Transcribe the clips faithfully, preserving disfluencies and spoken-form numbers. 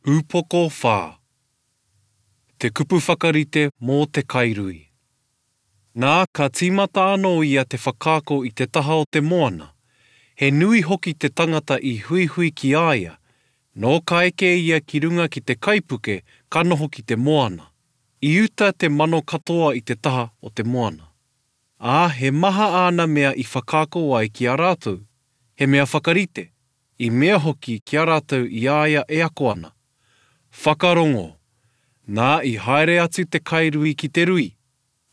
Upoko whā. Te kupu whakarite mō te kairui. Nā, ka tīmata anō ia te whakaako i te taha o te moana. He nui hoki te tangata i huihui ki a ia. Nō ka eke ia ki runga ki te kaipuke, ka noho ki te moana. I uta te mano katoa i te taha o te moana. Ā, he maha āna mea i whakaako ai ki a rātou, he mea whakarite, i mea hoki ki a rātou i a ia e ako ana. Whakarongo! Nā, i haere atu te kairui ki te rui.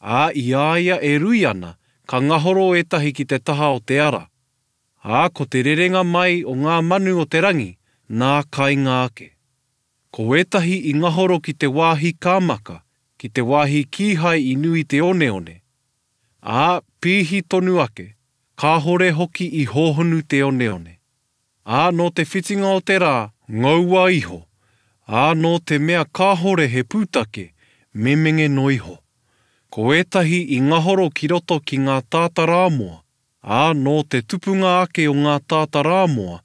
Ā, i a ia e rui ana, ka ngahoro ētahi ki te taha o te ara. Ā, ko te rerenga mai o ngā manu o te rangi, nā kainga ake. Ko ētahi i ngahoro ki te wāhi kāmaka, ki te wāhi kīhai i nui te oneone. Ā, pīhi tonu ake, kāhore hoki i hōhonu te oneone. Ā, nō te whitinga o te rā, ngaua iho, ā, nō te mea kāhore he pūtake, memenge noa iho. Ko ētahi i ngahoro ki roto ki ngā tātarāmoa, ā, nō te tupunga ake o ngā tātarāmoa,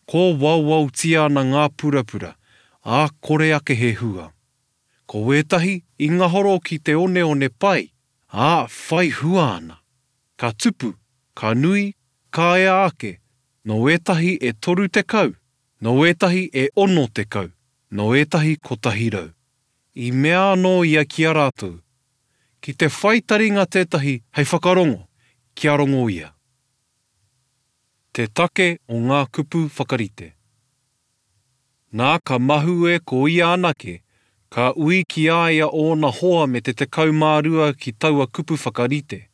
kōwaowaotia ana ngā purapura, ā, kore ake he hua. Ko ētahi i ngahoro ki te oneone pai, ā, whai hua ana. Ka tupu, ka nui, ka ea ake, nō ētahi e toru tekau, nō ētahi e ono tekau, nō ētahi kotahi rau. I mea anō ia ki a rātou, Ki te whai taringa tētahi hei whakarongo, kia rongo ia. Te take o ngā kupu whakarite. Nā, ka mahue ko ia anake, ka ui ki a ia ōna hoa me te tekau mā rua ki taua kupu whakarite,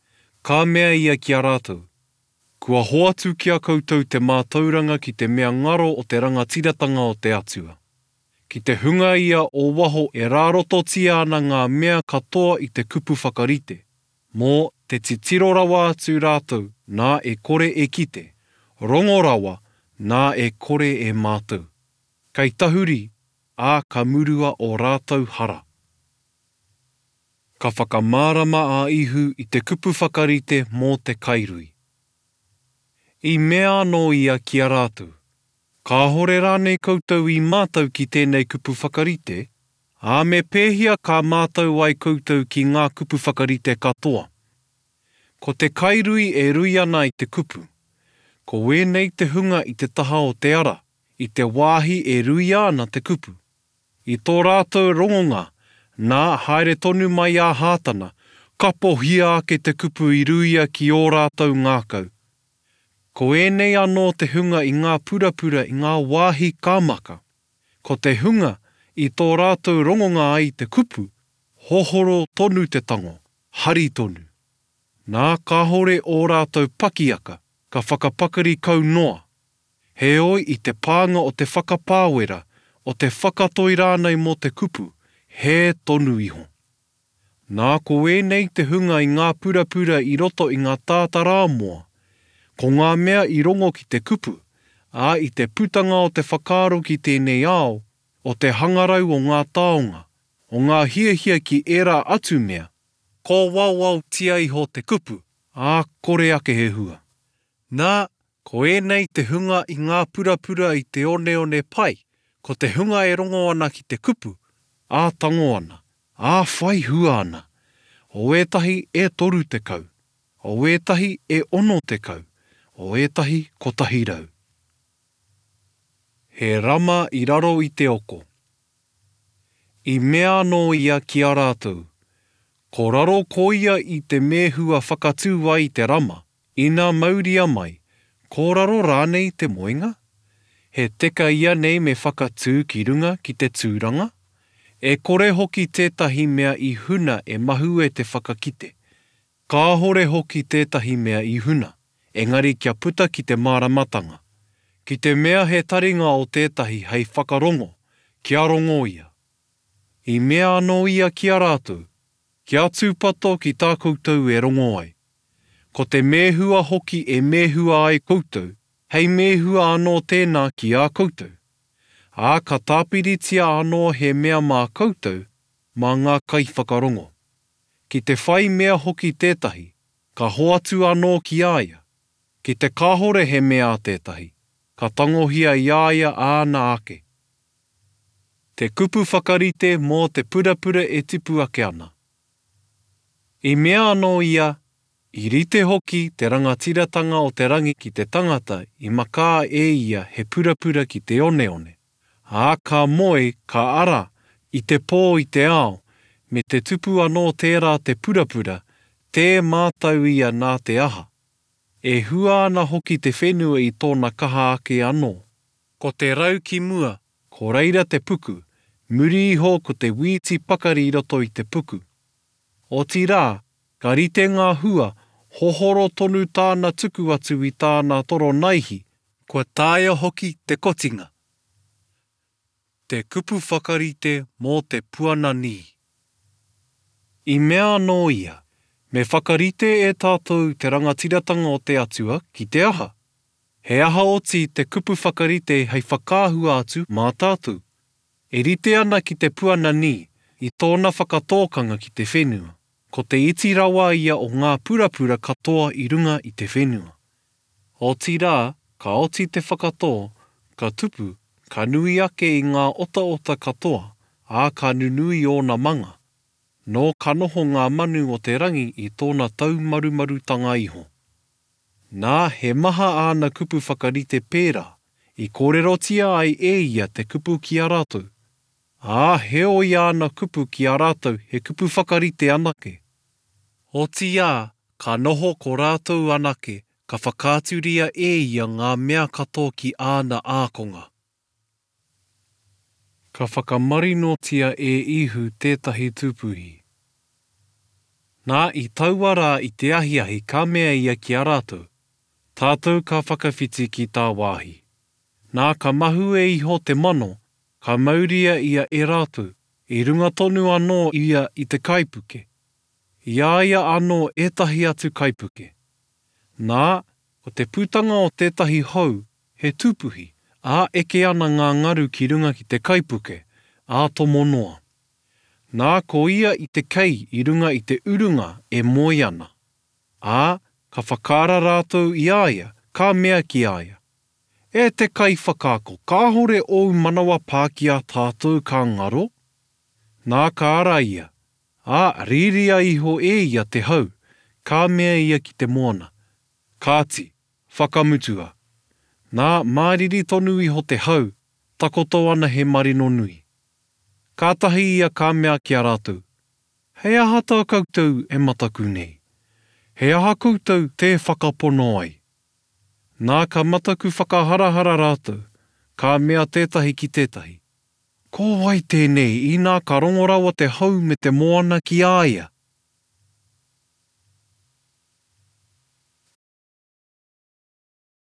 ka mea ia ki a rātou, Kua hoatu ki a koutou te mātauranga ki te mea ngaro o te rangatiratanga o te Atua. Ki te hunga ia o waho e rārototia ana ngā mea katoa i te kupu whakarite, mō te titiro rawa atu rātou nā e kore e kite, rongo rawa nā e kore e mātau. Kei tahuri, ā, ka murua ō rātou hara. Ka whakamārama a Ihu i te kupu whakarite mō te kairui. I mea anō ia ki a rātou, Kāhore rānei koutou i mātau ki tēnei kupu whakarite, ā, me pēhea ka mātau ai koutou ki ngā kupu whakarite katoa? Ko te kairui e rui ana i te kupu. Ko ēnei te hunga i te taha o te ara, i te wāhi e ruia ana te kupu. I tō rātou rongonga, nā, haere tonu mai a Hātana, kapohia ake te kupu i ruia ki ō rātou ngākau. Ko ēnei anō te hunga i ngā purapura i ngā wāhi kāmaka. Ko te hunga i tō rātou rongonga ai te kupu, hohoro tonu te tango, hari tonu. Nā, kāhore ō rātou pakiaka, ka whakapakari kau noa. Heoi i te pānga o te whakapāwera, o te whakatoi rānei mō te kupu, hē tonu iho. Nā, ko ēnei te hunga i ngā purapura i roto i ngā tātarāmoa, ko ngā mea i rongo ki te kupu, ā, i te putanga o te whakaaro ki tēnei ao, o te hangarau o ngā taonga, o ngā hiahia ki ērā atu mea, kōwaowaotia iho te kupu, ā, kore ake he hua. Nā, ko ēnei te hunga i ngā purapura i te oneone pai, ko te hunga e rongo ana ki te kupu, ā, tango ana, ā, whai hua ana, o ētahi e toru tekau, o ētahi e ono tekau, o ētahi kotahi rau. He rama i raro i te oko. I mea anō ia ki a rātou, Ko raro koia i te mēhua whakatū ai i te rama, ina mauria mai, ko raro rānei te moenga? He teka ianei me whakatū ki runga ki te tūranga? E kore hoki tētahi mea i huna e mahue te whakakite. Kāhore hoki tētahi mea i huna, engari kia puta ki te māramatanga. Ki te mea he taringa o tētahi hei whakarongo, kia rongo ia. I mea anō ia ki a rātou, Kia tūpato ki tā koutou e rongo ai. Ko te mēhua hoki e mēhua ai koutou, hei mēhua anō tēnā ki a koutou. Ā, ka tāpiritia anō he mea mā koutou, mā ngā kaiwhakarongo. Ki te whai mea hoki tētahi, ka hoatu anō ki a ia. Ki te kāhore he mea a tētahi, ka tangohia i a ia āna ake. Te kupu whakarite mō te purapura e tipu ake ana. I mea anō ia, I rite hoki te rangatiratanga o te rangi ki te tangata i makā e ia he purapura ki te oneone. Ā, ka moe, ka ara, i te pō i te ao, me te tupu anō tērā te purapura, tē mātau ia nā te aha. E hua ana hoki te whenua i tōna kaha ake anō. Ko te rau ki mua, ko reira te puku, muri iho ko te wīti pakari i roto i te puku. Otirā, ka rite ngā hua, hohoro tonu tāna tuku atu i tāna toro naihi, kua taea hoki te kotinga. Te kupu whakarite mō te puananī. I mea anō ia, Me whakarite e tātou te rangatiratanga o te Atua ki te aha? He aha oti te kupu whakarite hei whakaahua atu mā tātou? E rite ana ki te puananī i tōna whakatōkanga ki te whenua. Ko te iti rawa ia o ngā purapura katoa i runga i te whenua. Otirā, ka oti te whakatō, ka tupu, ka nui ake i ngā otaota katoa, ā, ka nunui ōna manga. Nō ka noho ngā manu o te rangi i tōna taumarumarutanga iho. Nā, he maha āna kupu whakarite pērā, i kōrerotia ai e ia te kupu ki a rātou. Ā, heoi āna kupu ki a rātou he kupu whakarite anake. Otiia, ka noho ko rātou anake, ka whakaaturia e ia ngā mea katoa ki āna ākonga. Ka whakamarinotia e Ihu tētahi tūpuhi. Nā, i taua rā i te ahiahi ka mea ia ki a rātou, Tātou ka whakawhiti ki tāwāhi. Nā, ka mahue iho te mano, ka mauria ia e rātou, i runga tonu anō ia i te kaipuke. I a ia anō ētahi atu kaipuke. Nā, ko te putanga o tētahi hau, he tūpuhi, ā, eke ana ngā ngaru ki runga ki te kaipuke, ā, tomo noa. Nā, ko ia i te kei i runga i te urunga e moe ana. Ā, ka whakaara rātou i a ia, ka mea ki a ia, E te Kaiwhakaako, kāhore ōu manawa pā ki a tātou ka ngaro? Nā, ka ara ia, ā, rīria iho e ia te hau, ka mea ia ki te moana, Kāti, whakamutua. Nā, māriri tonu iho te hau, takoto ana he marino nui. Kātahi ia ka mea ki a rātou, Hei aha tā koutou e mataku nei? He aha koutou tē whakapono ai? Nā, ka mataku whakaharahara rātou, ka mea tētahi ki tētahi, Ko wai tēnei, inā ka rongo rawa te hau me te moana ki a ia?